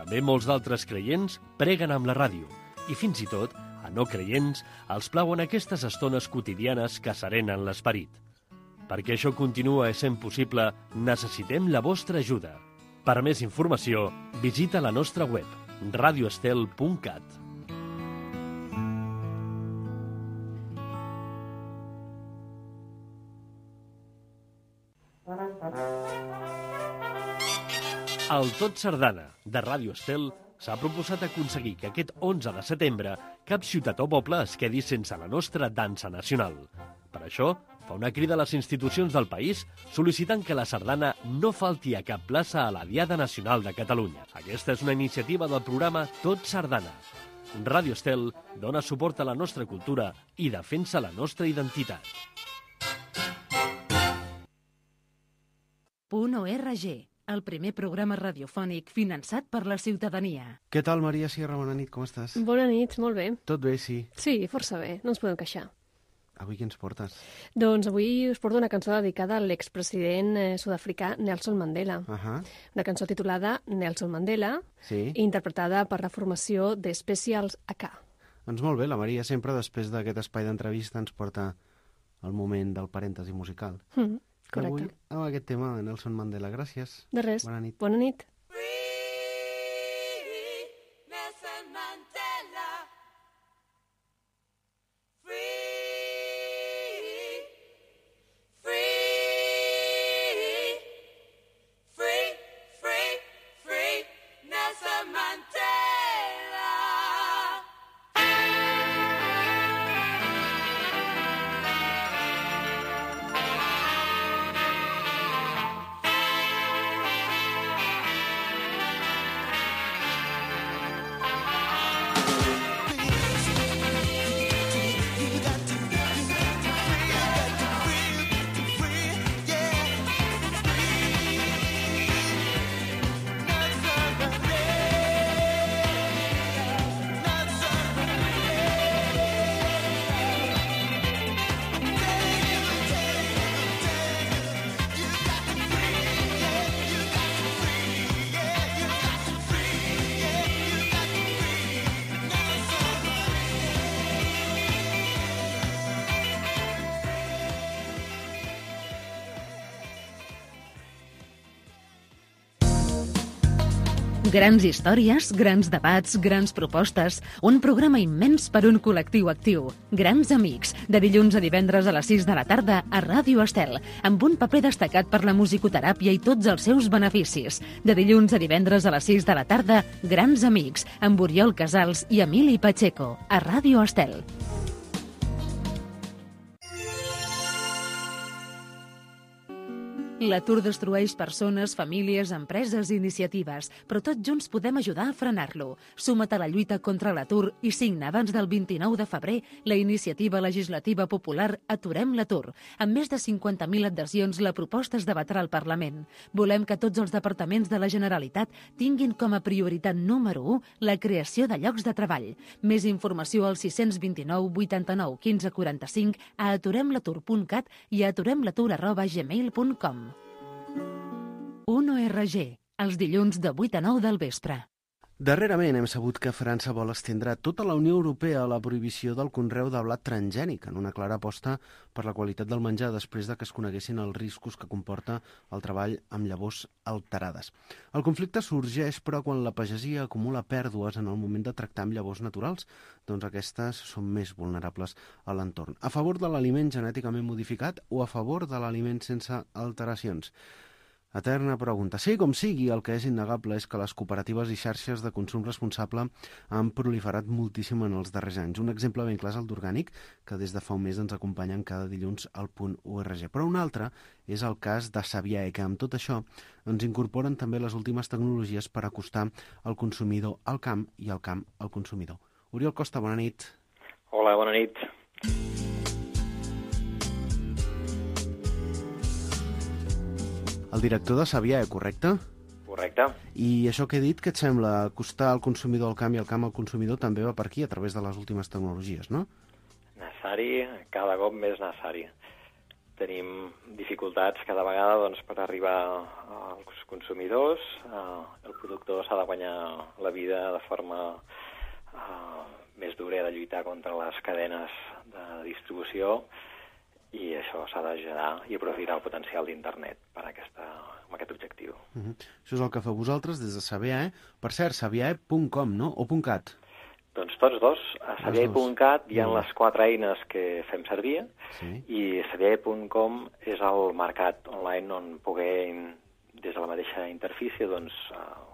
També molts d'altres creients preguen amb la ràdio, i fins i tot, a no creients, els plauen aquestes estones quotidianes que serenen l'esperit. Perquè això continua sent possible, necessitem la vostra ajuda. Per més informació, visita la nostra web, radioestel.cat. El Tot Sardana, de Ràdio Estel, s'ha proposat aconseguir que aquest 11 de setembre cap ciutat o poble es quedi sense la nostra dansa nacional. Per això, fa una crida a les institucions del país sol·licitant que la sardana no falti a cap plaça a la Diada Nacional de Catalunya. Aquesta és una iniciativa del programa Tot Sardana. Ràdio Estel dona suport a la nostra cultura i defensa la nostra identitat. .org, el primer programa radiofònic finançat per la ciutadania. Què tal, Maria Sierra? Bona nit, com estàs? Bona nit, molt bé. Tot bé, sí. Sí, força bé, no ens podem queixar. Avui què ens portes? Doncs avui us porto una cançó dedicada a l'expresident sud-africà Nelson Mandela. Una cançó titulada Nelson Mandela, interpretada per la formació de Specials AK. Doncs molt bé, la Maria sempre després d'aquest espai d'entrevista ens porta el moment del parèntesi musical. Correcte. Avui amb aquest tema de Nelson Mandela. Gràcies. De res. Bona nit. Bona nit. Grans històries, grans debats, grans propostes, un programa immens per un col·lectiu actiu. Grans amics, de dilluns a divendres a les 6 de la tarda a Ràdio Estel, amb un paper destacat per la musicoteràpia i tots els seus beneficis. De dilluns a divendres a les 6 de la tarda, Grans amics, amb Oriol Casals i Emili Pacheco, a Ràdio Estel. L'atur destrueix persones, famílies, empreses i iniciatives, però tots junts podem ajudar a frenar-lo. Suma't a la lluita contra l'atur i signa abans del 29 de febrer la iniciativa legislativa popular Aturem l'atur. Amb més de 50.000 adhesions, la proposta es debatrà al Parlament. Volem que tots els departaments de la Generalitat tinguin com a prioritat número 1 la creació de llocs de treball. Més informació al 629 89 15 45 a aturemlatur.cat i a aturemlatur@gmail.com. .org, els dilluns de 8 a 9 del vespre. Darrerament hem sabut que França vol estendre a tota la Unió Europea la prohibició del conreu de blat transgènic, en una clara aposta per la qualitat del menjar després de que es coneguessin els riscos que comporta el treball amb llavors alterades. El conflicte sorgeix, però, quan la pagesia acumula pèrdues en el moment de tractar amb llavors naturals, doncs aquestes són més vulnerables a l'entorn. A favor de l'aliment genèticament modificat o a favor de l'aliment sense alteracions? Eterna pregunta. Sí, com sigui, el que és innegable és que les cooperatives i xarxes de consum responsable han proliferat moltíssim en els darrers anys. Un exemple ben clar és el d'Orgànic, que des de fa un mes ens acompanyen cada dilluns al .org. Però un altre és el cas de Sabiae, que amb tot això ens incorporen també les últimes tecnologies per acostar el consumidor al camp i el camp al consumidor. Oriol Costa, bona nit. Hola, bona nit. El director de Sabiae, correcte? Correcte. I això que he dit, què et sembla? Acostar el consumidor al camp i el camp al consumidor també va per aquí, a través de les últimes tecnologies, no? Necessari, cada cop més necessari. Tenim dificultats cada vegada doncs, per arribar als consumidors. El productor s'ha de guanyar la vida de forma més dura i ha de lluitar contra les cadenes de distribució, i això s'ha de generar i aprofitar el potencial d'internet per amb aquest objectiu. Això és el que feu vosaltres des de Sabiae. Per cert, sabiae.com, no? O .cat? Doncs tots dos. A sabiae.cat hi ha les 4 eines que fem servir, i sabiae.com és el mercat online on poder, des de la mateixa interfície, doncs,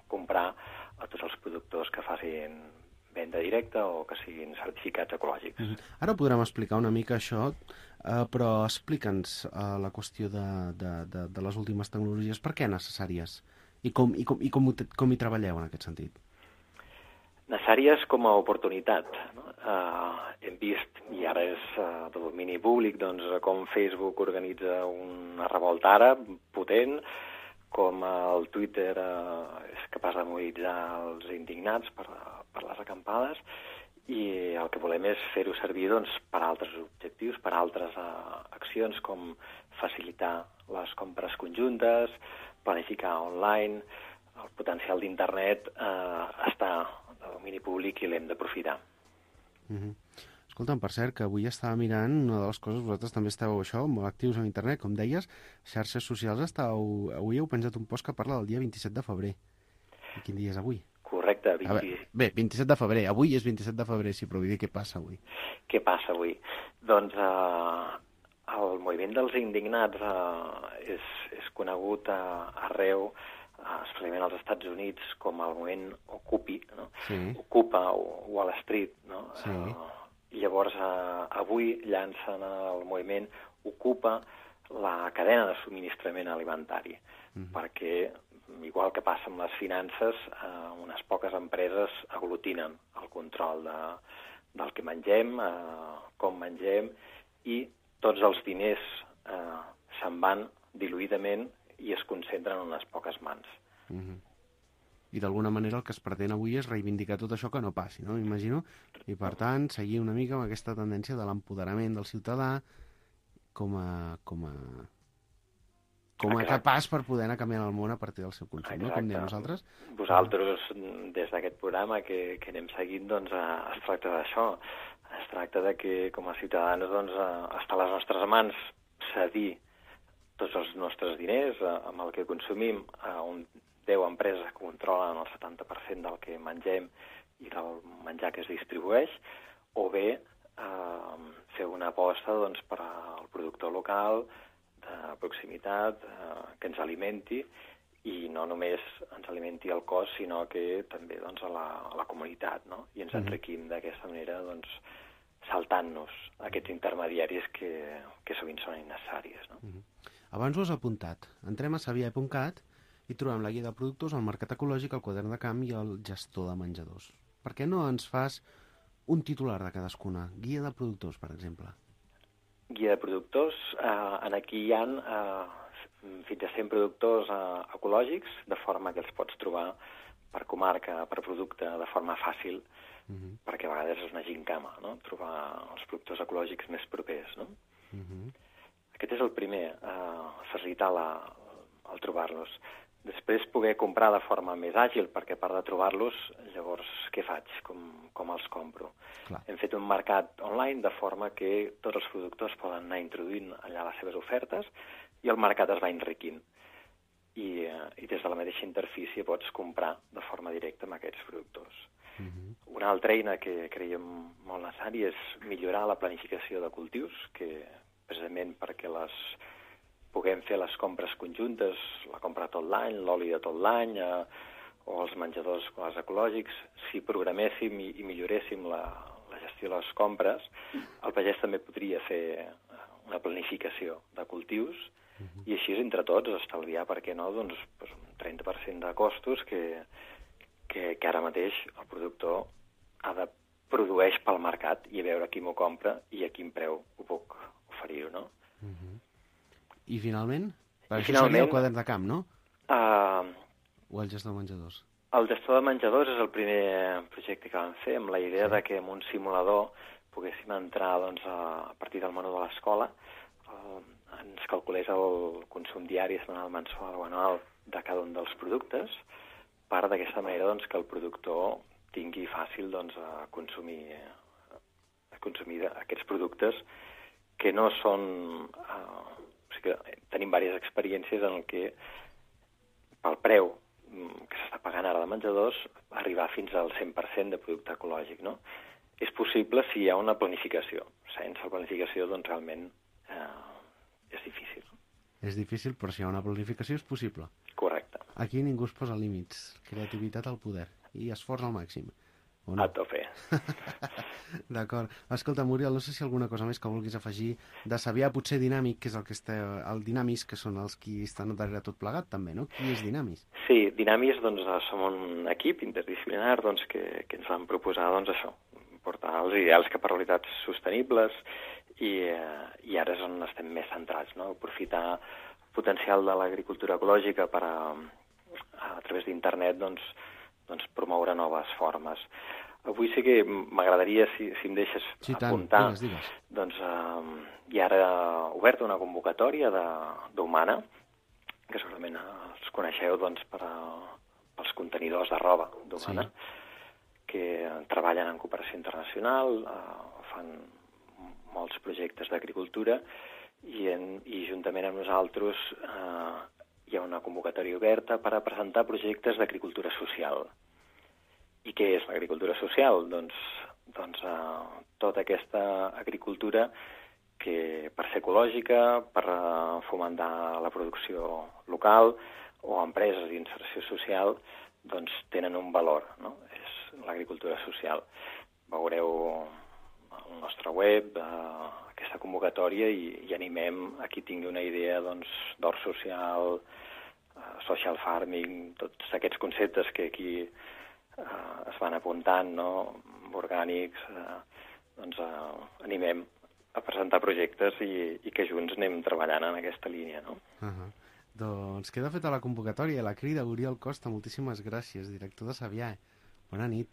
comprar a tots els productors que facin venda directa o que siguin certificats ecològics. Ara podrem explicar una mica això, però explica'ns la qüestió de les últimes tecnologies. Per què necessàries? I com hi treballeu en aquest sentit? Necessàries com a oportunitat. No? Hem vist, i ara és de domini públic, doncs, com Facebook organitza una revolta ara potent, com el Twitter és capaç de mobilitzar els indignats per les acampades, i el que volem és fer-ho servir doncs, per altres objectius, per altres accions, com facilitar les compres conjuntes, planificar online. El potencial d'internet està de domini públic i l'hem d'aprofitar. Escolta'm, per cert, que avui estava mirant una de les coses, vosaltres també esteu això, molt actius en internet, com deies, xarxes socials, avui heu penjat un post que parla del dia 27 de febrer. I quin dia és avui? Correcte. Bé, 27 de febrer. Avui és 27 de febrer, sí, però vull dir, què passa avui? Què passa avui? Doncs el moviment dels indignats és conegut arreu, especialment als Estats Units, com el moviment Occupy, no? Sí. Ocupa Wall Street, no? Sí. Llavors, avui llancen el moviment Ocupa la cadena de subministrament alimentari, perquè, igual que passa amb les finances, unes poques empreses aglutinen el control del que mengem, com mengem, i tots els diners se'n van diluïdament i es concentren en unes poques mans. I d'alguna manera el que es pretén avui és reivindicar tot això que no passi, no? M'imagino. I per tant, seguir una mica amb aquesta tendència de l'empoderament del ciutadà com a capaç per poder anar canviant el món a partir del seu consum, no? Com diem nosaltres. Vosaltres, des d'aquest programa que anem seguint, doncs es tracta d'això. Es tracta de que, com a ciutadans, doncs, està a les nostres mans cedir tots els nostres diners amb el que consumim a 10 empreses que controlen el 70% del que mengem i del menjar que es distribueix, o bé fer una aposta doncs, per al productor local, de proximitat, que ens alimenti, i no només ens alimenti el cos, sinó que també doncs, a la comunitat, no? I ens enriquim d'aquesta manera, doncs, saltant-nos aquests intermediaris que sovint són innecessaris, no? Abans ho has apuntat. Entrem a sabiae.cat i trobem la guia de productors, el mercat ecològic, el quadern de camp i el gestor de menjadors. Per què no ens fas un titular de cadascuna? Guia de productors, per exemple. Guia de productors. Aquí hi ha fins a 100 productors ecològics, de forma que els pots trobar per comarca, per producte, de forma fàcil, perquè a vegades és una gincama, no? Trobar els productors ecològics més propers, no? Aquest és el primer, facilitar el trobar-los. Després poder comprar de forma més àgil, perquè a part de trobar-los, llavors què faig? Com els compro? Clar. Hem fet un mercat online de forma que tots els productors poden anar introduint allà les seves ofertes i el mercat es va enriquint. I des de la mateixa interfície pots comprar de forma directa amb aquests productors. Una altra eina que creiem molt necessària és millorar la planificació de cultius, que precisament perquè les puguem fer les compres conjuntes, la compra tot l'any, l'oli de tot l'any, o els menjadors quasi ecològics, si programéssim i milloréssim la gestió de les compres, el pagès també podria fer una planificació de cultius i així entre tots estalviar, per què no, doncs, un 30% de costos que ara mateix el productor produeix pel mercat i a veure qui m'ho compra i a quin preu ho puc oferir-ho, no? I finalment? Això seria el quadern de camp, no? O el gestor de menjadors? El gestor de menjadors és el primer projecte que vam fer, amb la idea de que en un simulador poguéssim entrar doncs, a partir del menú de l'escola, ens calculés el consum diari, setmanal, mensual o anual de cada un dels productes, per d'aquesta manera doncs, que el productor tingui fàcil doncs, a consumir aquests productes que no són... o sigui que tenim diverses experiències en què pel preu que s'està pagant ara de menjadors arribar fins al 100% de producte ecològic, no? És possible si hi ha una planificació. Sense planificació, doncs, realment és difícil. És difícil, però si hi ha una planificació és possible. Correcte. Aquí ningú es posa límits. Creativitat al poder. I esforç al màxim. No? A tope. D'acord. Escolta, Muriel, no sé si alguna cosa més que vulguis afegir de Sabià, potser Dinàmic, que és el que el Dinamis, que són els qui estan darrere tot plegat, també, no? Qui és Dinamis? Sí, Dinamis, doncs, som un equip interdisciplinar doncs, que ens van proposar, doncs, això, portar els ideals cap a realitats sostenibles i ara és on estem més centrats, no? Aprofitar el potencial de l'agricultura ecològica per a través d'internet, doncs promoure noves formes. Avui sí que m'agradaria, si em deixes apuntar, digues. Doncs hi ha ara oberta una convocatòria d'Humana, que segurament els coneixeu doncs, pels contenidors de roba d'Humana, que treballen en cooperació internacional, fan molts projectes d'agricultura i juntament amb nosaltres hi ha una convocatòria oberta per a presentar projectes d'agricultura social. I què és l'agricultura social? Doncs tota aquesta agricultura que per ser ecològica, per fomentar la producció local o empreses d'inserció social, doncs tenen un valor, no? És l'agricultura social. Veureu al nostre web aquesta convocatòria i animem a qui tingui una idea d'hort social, social farming, tots aquests conceptes que aquí es van apuntant, no? Orgànics, doncs animem a presentar projectes i que junts anem treballant en aquesta línia, no? Doncs queda feta la convocatòria, la crida. Oriol Costa, moltíssimes gràcies, director de Sabià. Bona nit.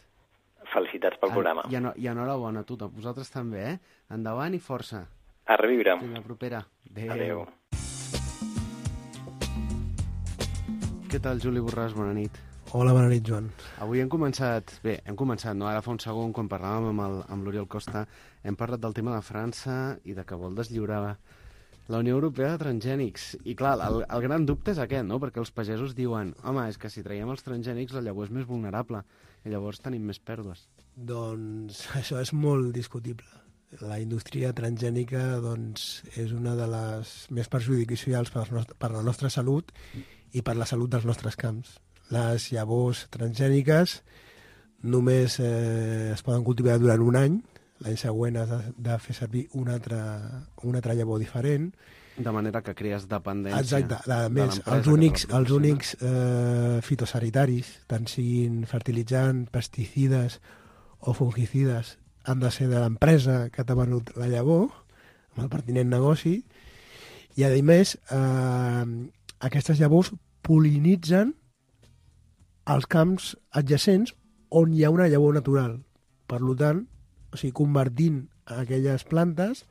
Felicitats pel programa. I enhorabona a tu, a vosaltres també, Endavant i força. A reviure. Fins la propera. Adéu. Què tal, Juli Borràs? Bona nit. Hola, bona nit, Joan. Avui hem començat, no? Ara fa un segon, quan parlàvem amb l'Oriol Costa, hem parlat del tema de França i de que vol deslliurar la Unió Europea de transgènics. I clar, el gran dubte és aquest, no? Perquè els pagesos diuen, home, és que si traiem els transgènics la llavor és més vulnerable i llavors tenim més pèrdues. Doncs això és molt discutible. La indústria transgènica doncs, és una de les més perjudicials per la nostra salut i per la salut dels nostres camps. Les llavors transgèniques només es poden cultivar durant un any. L'any següent has de fer servir una altra llavor diferent. De manera que crees dependència. Exacte. A més, els únics fitosanitaris, tant siguin fertilitzants, pesticides o fungicides, han de ser de l'empresa que t'ha venut la llavor, amb el pertinent negoci, i a més, aquestes llavors pol·linitzen els camps adjacents on hi ha una llavor natural. Per tant, o sigui, convertint aquelles plantes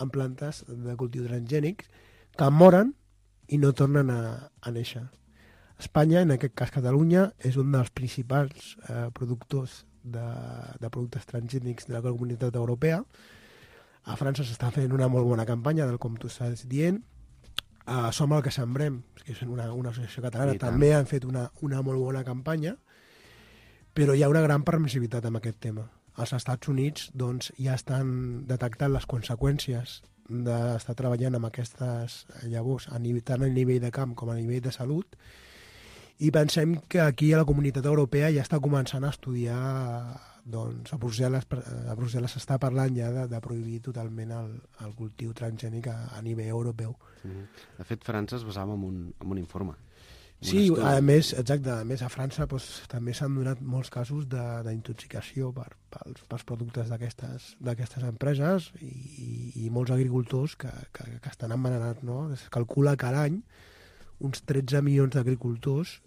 en plantes de cultiu transgènics que moren i no tornen a néixer. Espanya, en aquest cas Catalunya, és un dels principals productors de productes transgènics de la Comunitat Europea. A França s'està fent una molt bona campanya, com tu estàs dient. Som el que sembrem, que és una associació catalana, també han fet una molt bona campanya, però hi ha una gran permissivitat amb aquest tema. Els Estats Units doncs, ja estan detectant les conseqüències d'estar treballant amb aquestes llavors, tant a nivell de camp com a nivell de salut, i pensem que aquí a la Comunitat Europea ja està començant a estudiar, doncs a Brussel·les s'està parlant ja de prohibir totalment el cultiu transgènic a nivell europeu. De fet, França es basava en un informe. Sí, a més, exacte, a més a França també s'han donat molts casos d'intoxicació pels productes d'aquestes empreses i molts agricultors que estan envenenats, no? Es calcula que a l'any uns 13 milions d'agricultors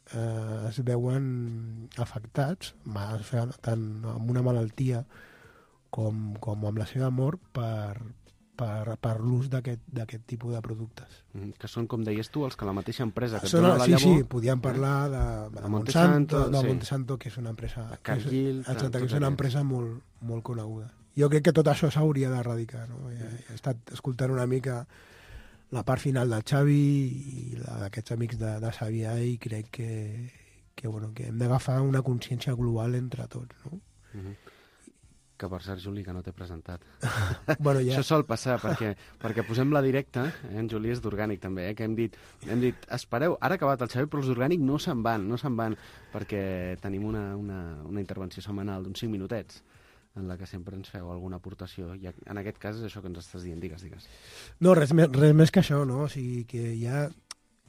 es veuen afectats, tant amb una malaltia com amb la seva mort per l'ús d'aquest tipus de productes. Que són, com deies tu, els que la mateixa empresa que et dona la llavor... Sí, podíem parlar de Monsanto, que és una empresa... Cargill... Exacte, que és una empresa molt, molt coneguda. Jo crec que tot això s'hauria d'erradicar, no? He estat escoltant una mica la part final del Xavi i d'aquests amics de Sabià i crec que hem d'agafar una consciència global entre tots, no? Que per cert, Juli, que no t'he presentat. Bueno, ja. Això sol passar, perquè posem la directa, en Juli és d'orgànic també, que hem dit, espereu, ara ha acabat el Xavi, però els d'orgànic no se'n van, perquè tenim una intervenció setmanal d'uns 5 minutets, en la que sempre ens feu alguna aportació, i en aquest cas és això que ens estàs dient, digues. No, res més que això, no? O sigui, que ja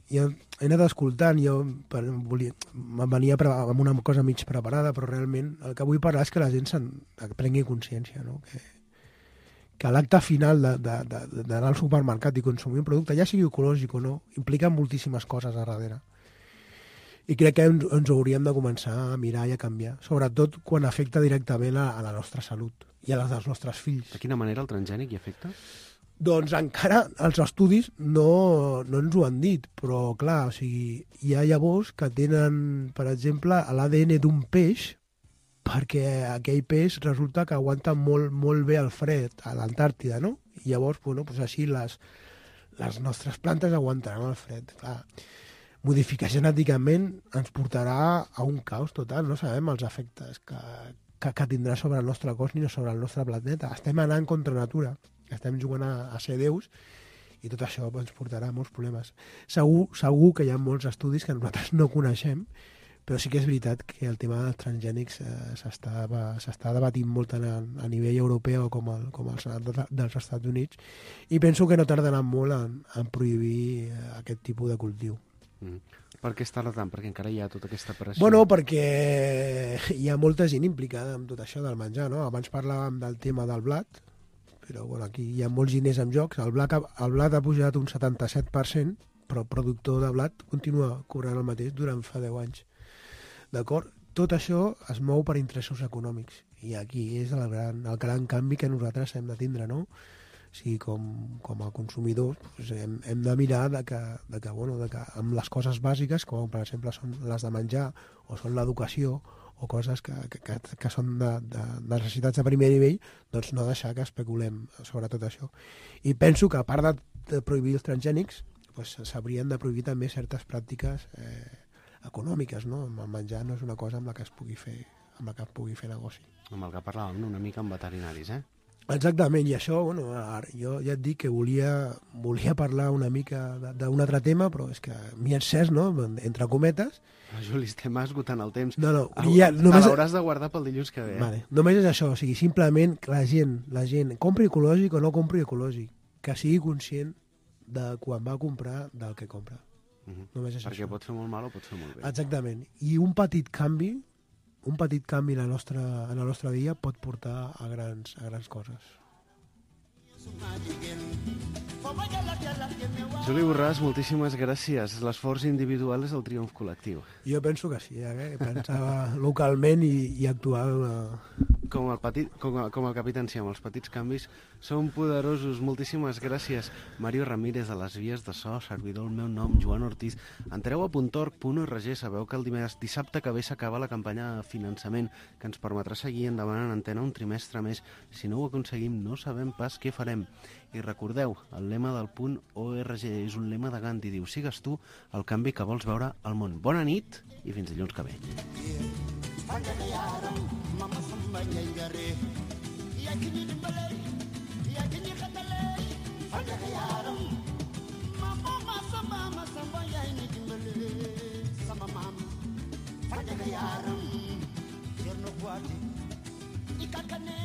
he anat escoltant, venia amb una cosa mig preparada, però realment el que vull parlar és que la gent prengui consciència, no? Que l'acte final d'anar al supermercat i consumir un producte, ja sigui ecològic o no, implica moltíssimes coses a darrere. I crec que ens hauríem de començar a mirar i a canviar, sobretot quan afecta directament a la nostra salut i a les dels nostres fills. De quina manera el transgènic hi afecta? Doncs encara els estudis no ens ho han dit, però clar, o sigui, hi ha llavors que tenen, per exemple, l'ADN d'un peix, perquè aquell peix resulta que aguanta molt bé el fred a l'Antàrtida, no? I llavors, doncs així les nostres plantes aguantaran el fred. Clar, modificar genèticament ens portarà a un caos total, no sabem els efectes que tindrà sobre el nostre cos ni sobre el nostre planeta. Estem anant contra natura. Estem jugant a ser déus i tot això ens portarà molts problemes. Segur que hi ha molts estudis que nosaltres no coneixem, però sí que és veritat que el tema dels transgènics s'està debatint molt tant a nivell europeu com al Senat dels Estats Units, i penso que no tardaran molt en prohibir aquest tipus de cultiu. Per què es tarda tant? Perquè encara hi ha tota aquesta operació. Bueno, perquè hi ha molta gent implicada en tot això del menjar, no? Abans parlàvem del tema del blat, però bueno, aquí hi ha molts diners en jocs. El blat ha pujat un 77%, però el productor de blat continua cobrant el mateix durant fa 10 anys. D'acord? Tot això es mou per interessos econòmics, i aquí és el gran canvi que nosaltres hem de tindre, no? O sigui, com a consumidors, doncs hem de mirar que amb les coses bàsiques, com per exemple són les de menjar o són l'educació, o coses que són de necessitats de primer nivell, doncs no deixar que especulem sobre tot això. I penso que a part de prohibir els transgènics, doncs s'haurien de prohibir també certes pràctiques econòmiques, no? El menjar no és una cosa amb la que es pugui fer negoci. Amb el que parlàvem una mica amb veterinaris, Exactament, i això, bueno, jo ja et dic que volia parlar una mica d'un altre tema, però és que m'hi he encès, no?, entre cometes. Juli, estem esgotant el temps. No, només... l'hauràs de guardar pel dilluns que ve. Vale. Només és això, o sigui, simplement que la gent compri ecològic o no compri ecològic, que sigui conscient de quan va comprar del que compra. Només és perquè això. Pot fer molt mal o pot fer molt bé. Exactament. I un petit canvi en la nostra vida pot portar a grans coses. Juli Borràs, moltíssimes gràcies. L'esforç individual és el triomf col·lectiu. Jo penso que sí, pensar localment i actuar... Com el Capità Enciam, els petits canvis són poderosos. Moltíssimes gràcies. Mario Ramírez, a les vies de so, servidor el meu nom, Joan Ortiz. Entreu a .org.org, sabeu que el dissabte que ve s'acaba la campanya de finançament que ens permetrà seguir endavant en antena un trimestre més. Si no ho aconseguim, no sabem pas què farem. I recordeu, el lema del .org és un lema de Gandhi, diu: sigues tu el canvi que vols veure al món. Bona nit i fins dilluns que ve. Ikakane,